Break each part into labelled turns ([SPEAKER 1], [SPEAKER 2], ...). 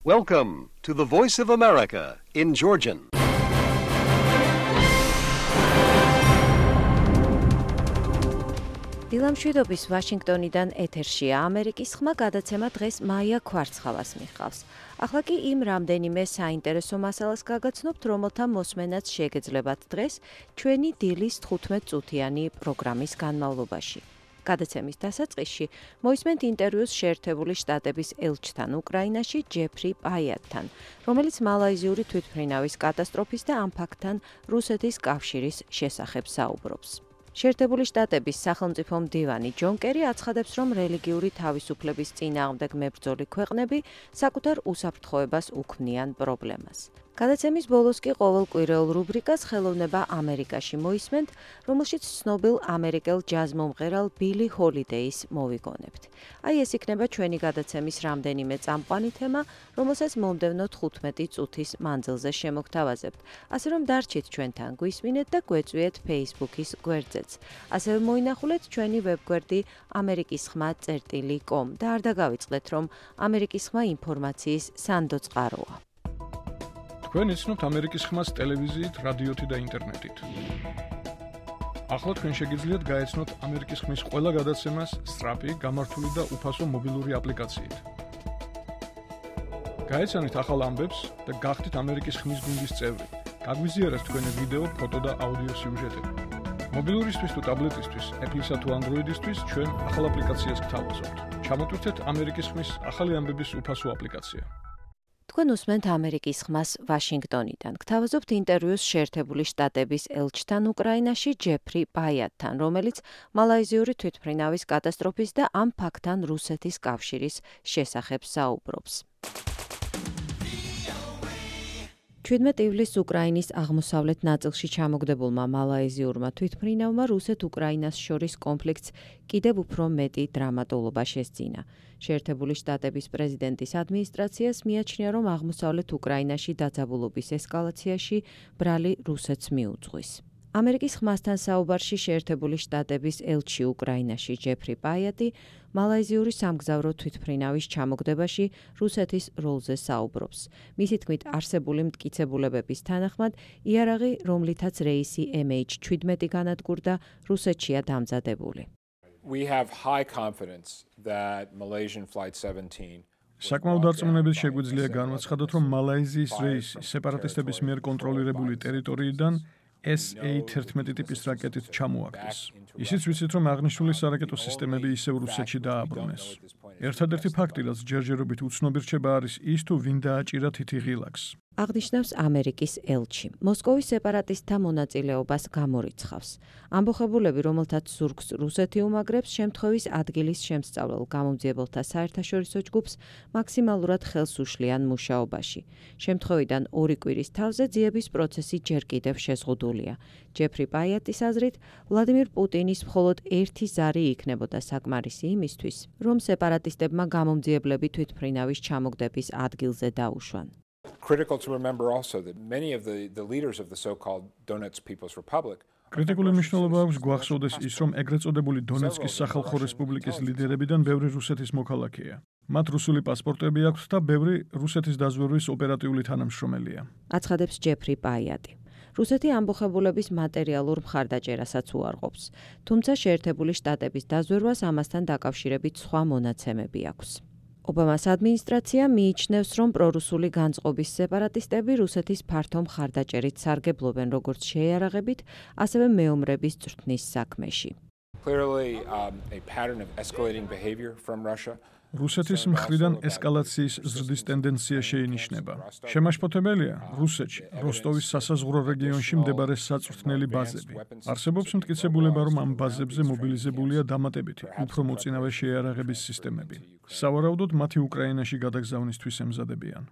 [SPEAKER 1] Welcome to the Voice of America in Georgian.
[SPEAKER 2] დილამშვიდობის ვაშინგტონიდან ეთერშია ამერიკის ხმა გადაცემა დღეს მაია ქვარცხალას მიხავს. ახლა კი იმ რამდენიმე საინტერესო მასალას გაგაცნობთ, რომელთა მოსმენაც შეგეძლებათ დღეს ჩვენი დილის 15 წუთიანი პროგრამის განმავლობაში. გადაცემის დასაწყისში მოისმენთ ინტერვიუს შეერთებული შტატების ელჩთან უკრაინაში ჯეფრი პაიატთან, რომელიც მალაიზიური თვითმფრინავის კატასტროფის და ამ ფაქტთან რუსეთის კავშირის შესახებ საუბრობს. შეერთებული შტატების სახელმწიფო მდივანი ჯონ კერი აცხადებს, რომ რელიგიური თავისუფლების წინააღმდეგ მებრძოლი ქვეყნები საკუთარ უსაფრთხოებას უქმნიან პრობლემას. გადაცემის ბოლოს კი ყოველკვირეულ რუბრიკას ხელოვნება ამერიკაში მოისმენთ, რომელშიც ცნობილ ამერიკელ ჯაზ მომღერალ ბილი ჰოლიდეის მოვიგონებთ. აი ეს იქნება ჩვენი გადაცემის რამდენიმე წამყვანი თემა, რომელსაც მომდევნო 15 წუთის მანძილზე შემოგთავაზებთ. ასე რომ დარჩით ჩვენთან, გვისმინეთ და გვეწვიეთ Facebook-ის გვერდზეც. ასევე მოინახულეთ ჩვენი ვებგვერდი amerikisxma.com და არ დაგავიწყდეთ, რომ ამერიკის ხმა ინფორმაციის სანდო წყაროა.
[SPEAKER 3] თქვენ იცნობთ ამერიკის ხმას ტელევიზიით, რადიოთი და ინტერნეტით. ახლა თქვენ შეგიძლიათ გაეცნოთ ამერიკის ხმის ყველა გადაცემას სწრაფი, გამართული და უფასო მობილური აპლიკაციით. გაეცანით ახალ ამბებს და გახდით ამერიკის ხმის გუნდის წევრი. გაგვიზიარეთ თქვენი ვიდეო, ფოტო და აუდიო სიუჟეტები. მობილურისთვის თუ ტაბლეტისთვის, Apple-ისა თუ Android-ისთვის ჩვენ ახალ აპლიკაციას გთავაზობთ. ჩამოტვირთეთ ამერიკის ხმის ახალი ამბების უფასო აპლიკაცია.
[SPEAKER 2] თქვენ უსმენთ ამერიკის ხმას ვაშინგტონიდან. გთავაზობთ ინტერვიუს შეერთებული შტატების ელჩთან უკრაინაში ჯეფრი პაიატთან, რომელიც მალაიზიური თვითმფრინავის კატასტროფის და ამ ფაქტთან რუსეთის კავშირის შესახებ საუბრობს. 17 ივლისს უკრაინის აღმოსავლეთ ნაწილში ჩამოგდებულმა მალაიზიურმა თვითმფრინავმა რუსეთ-უკრაინას შორის კონფლიქტს კიდევ უფრო მეტი დრამატულობა შესძინა. შეერთებული შტატების პრეზიდენტის ადმინისტრაციას მიაჩნია, რომ აღმოსავლეთ უკრაინაში დაძაბულობის ესკალაციაში ბრალი რუსეთს მიუძღვის. ამერიკის ხმასთან საუბარში შეერთებული შტატების ელჩი უკრაინაში ჯეფრი პაიატი მალაიზიური სამგზავრო თვითმფრინავის ჩამოგდებაში რუსეთის როლზე საუბრობს. მისი თქმით, არსებული მტკიცებულებების თანახმად, იარაღი, რომლითაც რეისი MH17 განადგურდა, რუსეთშია დამზადებული.
[SPEAKER 4] We have high confidence that Malaysian Flight 17
[SPEAKER 3] საკმაოდ დარწმუნებით შეგვიძლია განვაცხადოთ, რომ მალაიზიის რეისი სეპარატისტების მიერ კონტროლირებული ტერიტორიიდან SA-11 ტიპის რაკეტით ჩამოაგდეს. ისიც ვიცით, რომ აღნიშნული სარაკეტო სისტემები ისევ რუსეთში დააბრუნეს. ერთადერთი ფაქტი, რაც ჯერჯერობით უცნობი რჩება, არის ის, თუ ვინ დააჭირა თითიღილაკს.
[SPEAKER 2] აღნიშნავს ამერიკის ელჩი. მოსკოვის სეპარატისტთა მონაწილეობას გამორიცხავს. ამბოხებულები, რომელთაც ზურგს რუსეთი უმაგრებს, შემთხვევის ადგილის შემსწავლელ გამომძიებელთა საერთაშორისო ჯგუფს მაქსიმალურად ხელს უშლიან მუშაობაში. შემთხვევიდან 2 კვირის თავზე ძიების პროცესი ჯერ კიდევ შეზღუდულია. ჯეფრი პაიატის აზრით, ვლადიმირ პუტინის მხოლოდ ერთი ზარი იქნებოდა საკმარისი იმისთვის, რომ სეპარატისტებმა გამომძიებლები თვითმფრინავის ჩამოგდების ადგილზე დაუშვან.
[SPEAKER 4] Critical to remember also that many of the leaders of the so-called Donetsk People's Republic
[SPEAKER 3] კრიტიკული მნიშვნელობა აქვს გვახსოვდეს ის, რომ ეგრეთ წოდებული დონეცკის სახალხო რესპუბლიკის ლიდერებიდან ბევრი რუსეთის მოქალაქეა. მათ რუსული პასპორტები აქვთ და ბევრი რუსეთის დაზვერვის ოპერატიული თანამშრომელია.
[SPEAKER 2] აცხადებს ჯეფრი პაიატი. რუსეთი ამბოხებულების მატერიალურ მხარდაჭერასაც უარყოფს, თუმცა შეერთებული შტატების დაზვერვას ამასთან დაკავშირებით სხვა მონაცემები აქვს. ობამას ადმინისტრაცია მიიჩნევს, რომ პრორუსული განწყობის სეპარატისტები რუსეთის ფართო მხარდაჭერით სარგებლობენ როგორც შეიარაღებით, ასევე მეომრების წვრთნის საქმეში.
[SPEAKER 4] Clearly a pattern of escalating behavior from Russia.
[SPEAKER 3] რუსეთის მხრიდან ესკალაციის ზრდის ტენდენცია შეინიშნება. შემაშფოთებელია რუსეთში, როსტოვის სასაზღვრო რეგიონში მდებარე საწვრთნელი ბაზები. არსებობს მტკიცებულება, რომ ამ ბაზებზე მობილიზებულია დამატებითი, უფრო მოწინავე შეიარაღების სისტემები. სავარაუდოდ მათი უკრაინაში გადაგზავნისთვის ემზადებიან.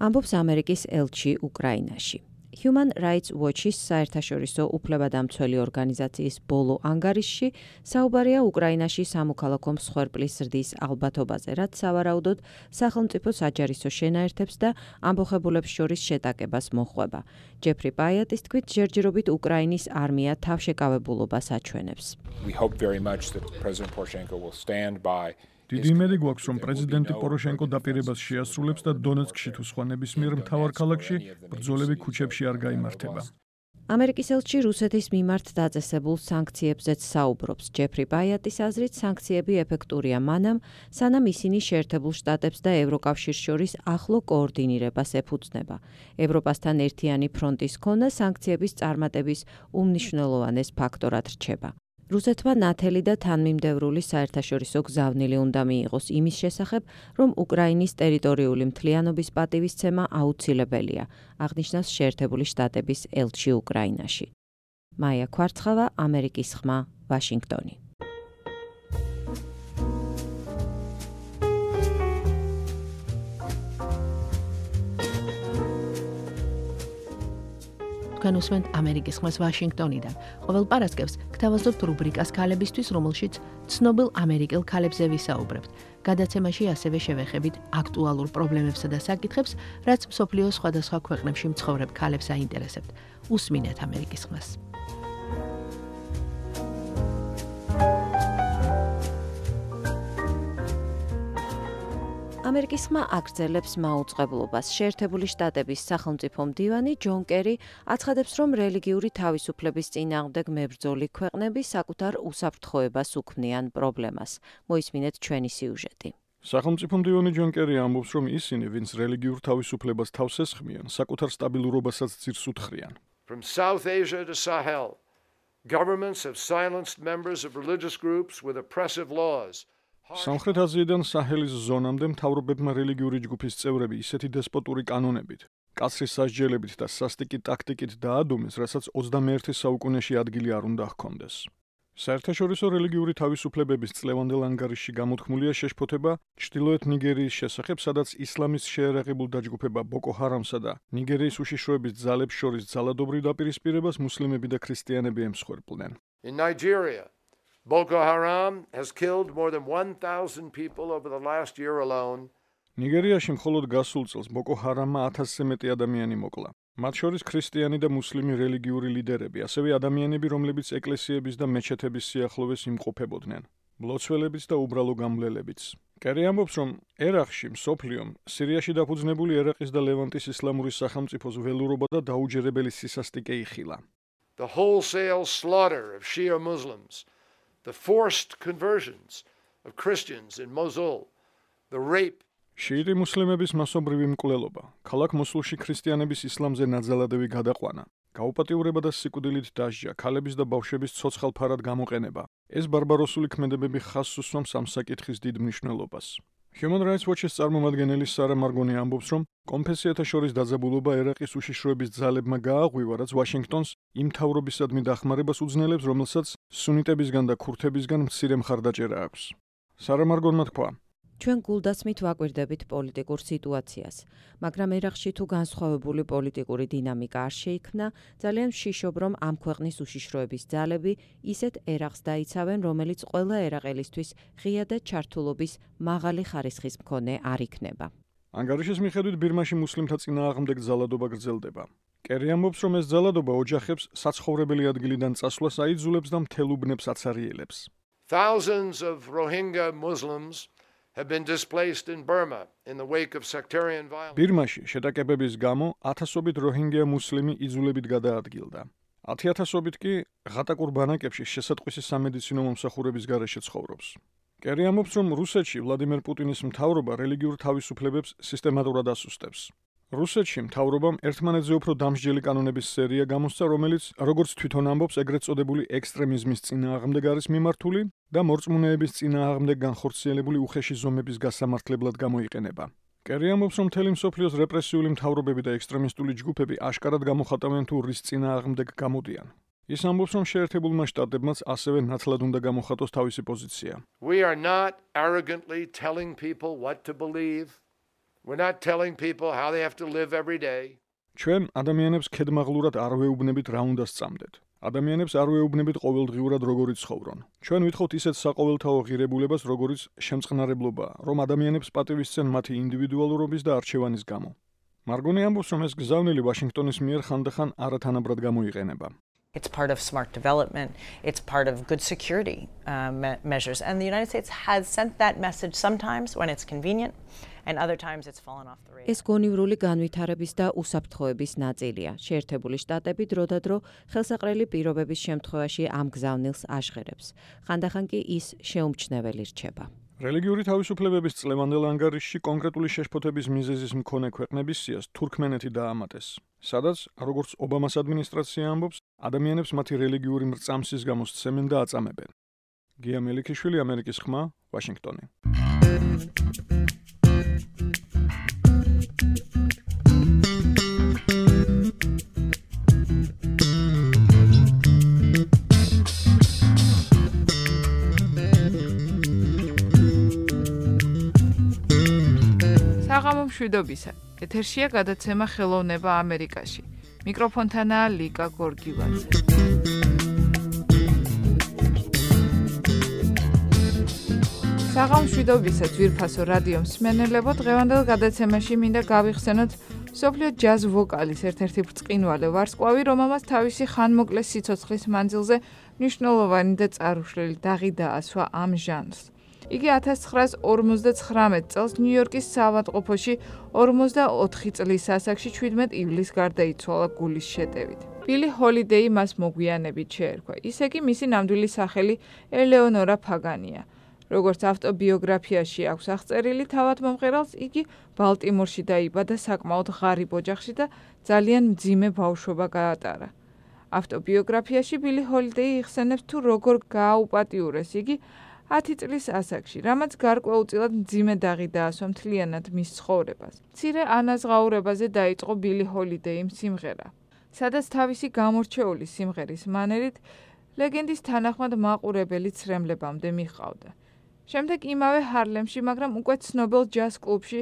[SPEAKER 2] ამბობს ამერიკის ელჩი უკრაინაში. Human Rights Watch-ის საერთაშორისო უფლებადამცველი ორგანიზაციის ბოლო ანგარიშში საუბარია უკრაინაში სამოქალაქო მსხვერპლის ზრდის ალბათობაზე, რაც სავარაუდოდ სახელმწიფო საჯარისო შენაერთებს და ამბოხებულებს შორის შეტაკებას მოჰყვება. ჯეფრი პაიატის თქმით, ჯერჯერობით უკრაინის არმია თავშეკავებულობას აჩვენებს.
[SPEAKER 4] We hope very much that President Poroshenko will stand by
[SPEAKER 3] დიდი იმედი გვაქვს, რომ პრეზიდენტი პოროშენკო დაპირებას შეასრულებს და დონეცკში თუ სხვა ნებისმიერ მთავარ ქალაქში ბრძოლები ქუჩებში არ გაიმართება.
[SPEAKER 2] ამერიკის ელჩი რუსეთის მიმართ დაწესებულ სანქციებზეც საუბრობს. ჯეფრი ბაიატის აზრით, სანქციები ეფექტურია მანამ, სანამ ისინი შეერთებულ შტატებს და ევროკავშირს შორის ახლო კოორდინირებას ეფუძნება. ევროპასთან ერთიანი ფრონტის ქონა სანქციების წარმატების უმნიშვნელოვანეს ფაქტორად რჩება. რუსეთმა ნათელი და თანმიმდევრული საერთაშორისო გზავნილი უნდა მიიღოს იმის შესახებ, რომ უკრაინის ტერიტორიული მთლიანობის პატივისცემა აუცილებელია, აღნიშნავს შეერთებული შტატების ელჩი უკრაინაში. მაია ქვარცხავა, ამერიკის ხმა, ვაშინგტონი.
[SPEAKER 5] თქვენ უსმენთ ამერიკის ხმას ვაშინგტონიდან. ყოველ პარასკევს გთავაზობთ რუბრიკას ქალებისთვის, რომელშიც ცნობილ ამერიკელ ქალებზე ვისაუბრებთ. გადაცემაში ასევე შევეხებით აქტუალურ პრობლემებსა და საკითხებს, რაც მსოფლიოს სხვადასხვა ქვეყნებში მცხოვრებ ქალებს აინტერესებთ. უსმინეთ ამერიკის ხმას.
[SPEAKER 2] ამერიკის ხმა აგრძელებს მაუწყებლობას. შეერთებული შტატების სახელმწიფო მდივანი ჯონ კერი აცხადებს, რომ რელიგიური თავისუფლების წინააღმდეგ მებრძოლი ქვეყნები საკუთარ უსაფრთხოებას უქმნიან პრობლემას. მოისმინეთ ჩვენი სიუჟეტი.
[SPEAKER 3] სახელმწიფო მდივანი ჯონ კერი ამბობს, რომ ისინი, ვინც რელიგიურ თავისუფლებას თავს ესხმიან, საკუთარ სტაბილურობასაც ძირს უთხრიან.
[SPEAKER 6] From South Asia to Sahel, governments have silenced members of religious groups with oppressive laws.
[SPEAKER 3] სამხრეთ აზიიდან საჰელის ზონამდე მთავრობებმა რელიგიური ჯგუფის წევრები ისეთი დესპოტური კანონებით, კაცრი სასჯელებით და სასტიკი ტაქტიკით დაადუმეს, რასაც 21 საუკუნეში ადგილი არ უნდა ჰქონდეს. საერთაშორისო რელიგიური თავისუფლებების წლევანდელ ანგარიშში გამოთქმულია შეშფოთება ჩრდილოეთ ნიგერიის შესახებ, სადაც ისლამის შეერაღებულ დაჯგუფება ბოკო ჰარამსა და ნიგერიის უშიშროების ძალებს შორის ძალადობრივ დაპირისპირებას მუსლიმები და ქრისტიანები ემსხვერპლნენ.
[SPEAKER 6] In Nigeria, Boko Haram has killed more than 1,000 people over the last year alone.
[SPEAKER 3] ნიგერიაში მხოლოდ გასულ წელს ბოკო ჰარამმა 1000-ზე მეტი ადამიანი მოკლა. მათ შორის ქრისტიანი და მუსლიმი რელიგიური ლიდერები, ასევე ადამიანები, რომლებიც ეკლესიების და მეჩეთების სიახლოვეს იმყოფებოდნენ, მლოცველებიც და უბრალო გამვლელებიც. კერი ამბობს, რომ ერაყში, მსოფლიომ, სირიაში დაფუძნებული ერაყის და ლევანტის ისლამური სახელმწიფოს ველურობა და დაუჯერებელი სისასტიკე იხილა.
[SPEAKER 6] The wholesale slaughter of Shia Muslims, the forced conversions of Christians in Mosul, the rape.
[SPEAKER 3] შიიტი მუსლიმების მასობრივი მკვლელობა, ქალაქ მოსულში ქრისტიანების ისლამზე ნაძალადევი გადაყვანა, გაუპატიურება და სიკვდილით დასჯა, ქალების და ბავშვების ცოცხალ ფარად გამოყენება. ეს ბარბაროსული ქმედებები ხაზს უსვამს ამ საკითხის დიდ მნიშვნელობას. Human Rights Watch-ის წარმომადგენელი სარა მარგონი ამბობს, რომ კონფესიათა შორის დაძაბულობა ერაყის უშიშროების ძალებმა გააღვივა, რაც ვაშინგტონს იმ მთავრობისადმი დახმარებას უძნელებს, რომელსაც სუნიტებისგან და ქურთებისგან მცირე მხარდაჭერა აქვს. სარა მარგონმა თქვა:
[SPEAKER 2] ჩვენ გულდასმით ვაკვირდებით პოლიტიკურ სიტუაციას, მაგრამ ერაყში თუ განსხვავებული პოლიტიკური დინამიკა არ შეიქმნა, ძალიან ვშიშობ, რომ ამ ქვეყნის უშიშროების ძალები ისეთ ერაყს დაიცავენ, რომელიც ყველა ერაყელისთვის ღია და ჩართულობის მაღალი ხარისხის მქონე არ იქნება.
[SPEAKER 3] ანგარიშის მიხედვით ბირმაში მუსლიმთა წინააღმდეგ ძალადობა გრძელდება. კერი ამბობს, რომ ეს ძალადობა ოჯახებს საცხოვრებელი ადგილიდან წასვლას აიძულებს და მთელ უბნებს აცარიელებს.
[SPEAKER 6] Thousands of Rohingya Muslims have been displaced in Burma in the wake of sectarian violence.
[SPEAKER 3] ბირმაში შეტაკებების გამო ათასობით როჰინგია მუსლიმი იძულებით გადაადგილდა. 10,000-ობით კი ღატაკურ ბანაკებში შესატყვისი სამედიცინო მომსახურების გარეშე ცხოვრობს. კერი ამბობს, რომ რუსეთში ვლადიმერ პუტინის მთავრობა რელიგიურ თავისუფლებებს სისტემატურად ასუსტებს. რუსეთში მთავრობამ ერთმანეთზე უფრო დამსჯელი კანონების სერია გამოსცა, რომელიც, როგორც თვითონ ამბობს, ეგრეთ წოდებული ექსტრემიზმის წინააღმდეგ არის მიმართული და მორწმუნეების წინააღმდეგ განხორციელებული უხეში ზომების გასამართლებლად გამოიყენება. კერი ამბობს, რომ მთელი მსოფლიოს რეპრესიული მთავრობები და ექსტრემისტული ჯგუფები აშკარად გამოხატავენ თუ რის წინააღმდეგ გამოდიან. ის ამბობს, რომ შეერთებულმა შტატებმაც ასევე ნათლად უნდა გამოხატოს თავისი პოზიცია.
[SPEAKER 6] We are not arrogantly telling people what to believe. We're not telling people how they have to live every day.
[SPEAKER 3] ჩვენ ადამიანებს ქედმაღლურად არ ვეუბნებით რა უნდა სწამდეთ. ადამიანებს არ ვეუბნებით ყოველდღიურად როგორ იცხოვრონ. ჩვენ ვითხოვთ ისეთ საყოველთაო ღირებულებას, როგორიც შემწყნარებლობა, რომ ადამიანებს პატივისცენ მათი ინდივიდუალურობის და არჩევანის გამო. მარგონი ამბობს, რომ ეს გზავნილი ვაშინგტონის მიერ ხანდახან არათანაბრად გამოიყენება.
[SPEAKER 7] It's part of smart development. It's part of good security measures. And the United States has sent that message sometimes when it's convenient, and other times it's fallen off the radar.
[SPEAKER 2] ეს გონივრული განვითარების და უსაფრთხოების ნაწილია. შეერთებული შტატები დროდადრო ხელსაყრელი პირობების შემთხვევაში ამ გზავნილს აშღერებს. ხანდახან კი ის შეუმჩნეველი რჩება.
[SPEAKER 3] რელიგიური თავისუფლებების წლევანდელ ანგარიშში კონკრეტული შეშფოთების მიზეზის მქონე ქვეყნების სიას თურქმენეთი დაამატეს, სადაც, როგორც ობამას ადმინისტრაცია ამბობს, ადამიანებს მათი რელიგიური მრწამსის გამო სცემენ და აწამებენ. გია მელიქიშვილი, ამერიკის ხმა, ვაშინგტონი.
[SPEAKER 8] საღამო მშვიდობისა. ეთერშია გადაცემა ხელოვნება ამერიკაში. მიკროფონთანაა ლიკა გორგილაძე. საღამო მშვიდობისა ძვირფასო რადიო მსმენელებო, დღევანდელ გადაცემაში მინდა გავიხსენოთ მსოფლიო ჯაზ ვოკალის ერთ-ერთი ბრწყინვალე ვარსკვლავი, რომელმაც თავისი ხანმოკლე სიცოცხლის მანძილზე მნიშვნელოვანი და წარუშლელი დაღი დაასვა ამ ჟანრს. იგი 1959 წელს ნიუ-იორკის საავადმყოფოში 44 წლის ასაკში 17 ივლისს გარდაიცვალა გულის შეტევით. ბილი ჰოლიდეი მას მოგვიანებით შეერქვა. ისე კი მისი ნამდვილი სახელი ელეონორა ფაგანია. როგორც ავტობიოგრაფიაში აქვს აღწერილი, თავადმომღერალს იგი ბალტიმორში დაიბადა საკმაოდ ღარიბ ოჯახში და ძალიან მძიმე ბავშვობა გაატარა. ავტობიოგრაფიაში ბილი ჰოლიდეი იხსენებს თუ როგორ გააუპატიურეს იგი 10 წლის ასაკში, რამაც გარკვეულწილად მძიმე დაღი დაასვა მთლიანად მის ცხოვრებას. მცირე ანაზღაურებაზე დაიწყო ბილი ჰოლიდეიმ სიმღერა, სადაც თავისი გამორჩეული სიმღერის მანერით ლეგენდის თანახმად მაყურებელი ცრემლებამდე მიჰყავდა. შემდეგ იმავე ჰარლემში, მაგრამ უკვე ცნობილ ჯაზ კლუბში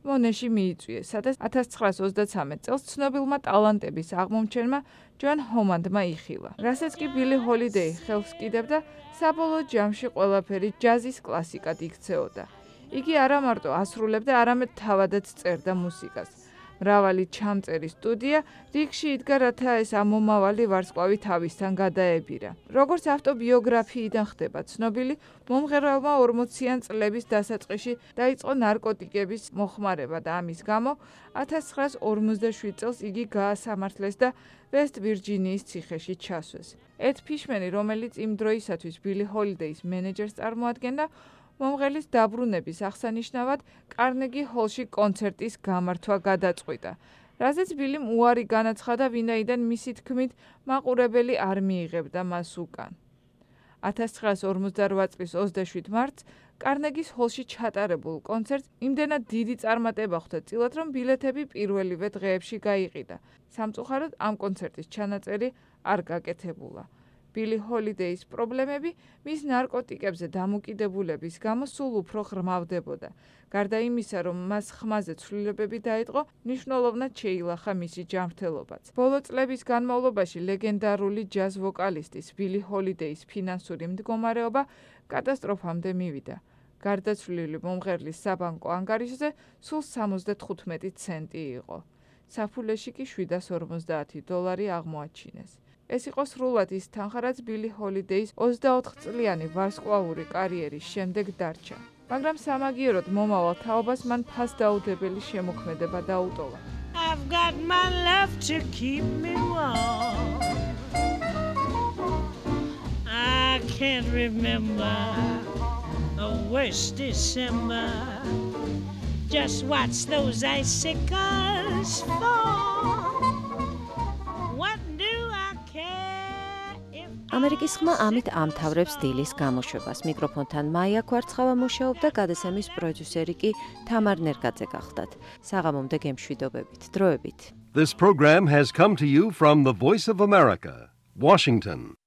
[SPEAKER 8] მონეში მიიწვიეს, სადაც 1933 წელს ცნობილმა ტალანტების აღმომჩენმა ჯონ ჰომანდმა იხილა. რასაც კი ბილი ჰოლიდეი ხელს კიდევდა, საბოლოო ჯამში ყველაფერი ჯაზის კლასიკად იქცეოდა. იგი არა მარტო ასრულებდა, არამედ თავადაც წერდა მუსიკას. მრავალი ჩამწერი სტუდია რიგში იდგა, რათა ეს ამომავალი ვარსკვლავი თავისთან გადაებირა. როგორც ავტობიოგრაფიიდან ხდება ცნობილი, მომღერალმა 40-იან წლების დასაწყისში დაიწყო ნარკოტიკების მოხმარება და ამის გამო 1957 წელს იგი გაასამართლეს და ვესტ ვირჯინიის ციხეში ჩასვეს. ედ ფიშმენი, რომელიც იმ დროისათვის ბილი ჰოლიდეის მენეჯერს წარმოადგენდა, მომღერლის დაბრუნების აღსანიშნავად კარნეგი ჰოლში კონცერტის გამართვა გადაწყვიტა, რაზეც ბილიმ უარი განაცხადა, ვინაიდან მისი თქმით მაყურებელი არ მიიღებდა მას უკან. 1958 წლის 27 მარტს კარნეგის ჰოლში ჩატარებულ კონცერტს იმდენად დიდი წარმატება ხვდა წილად, რომ ბილეთები პირველივე დღეებში გაიყიდა. სამწუხაროდ ამ კონცერტის ჩანაწერი არ გაკეთებულა. ბილი ჰოლიდეის პრობლემები მის ნარკოტიკებზე დამოკიდებულების გამო სულ უფრო ღრმავდებოდა. გარდა იმისა, რომ მას ხმაზე ცვლილებები დაიწყო, მნიშვნელოვნად შეილახა მისი ჯანმრთელობაც. ბოლო წლების განმავლობაში ლეგენდარული ჯაზ ვოკალისტის ბილი ჰოლიდეის ფინანსური მდგომარეობა კატასტროფამდე მივიდა. გარდაცვლილი მომღერლის საბანკო ანგარიშზე სულ 75 ცენტი იყო. საფულეში კი $750 აღმოაჩინეს. ეს იყო სრულად ის თანხა, რაც ბილი ჰოლიდეის 24 წლიანი ვარსკვლავური კარიერის შემდეგ დარჩა. მაგრამ სამაგიეროდ მომავალ თაობას მან ფასდაუდებელი შემოქმედება დაუტოვა. I've got my love to keep me warm. I can't remember a worse December. Just watch those icicles fall. ამერიკის ხმა ამით ამთავრებს დილის გამოშვებას. მიკროფონთან მაია კვარცხავა მუშაობდა, გადაცემის პროდიუსერი კი თამარ ნერგაძე გახლდათ. საღამომდე გემშვიდობებით. დროებით.
[SPEAKER 1] This program has come to you from the Voice of America, Washington.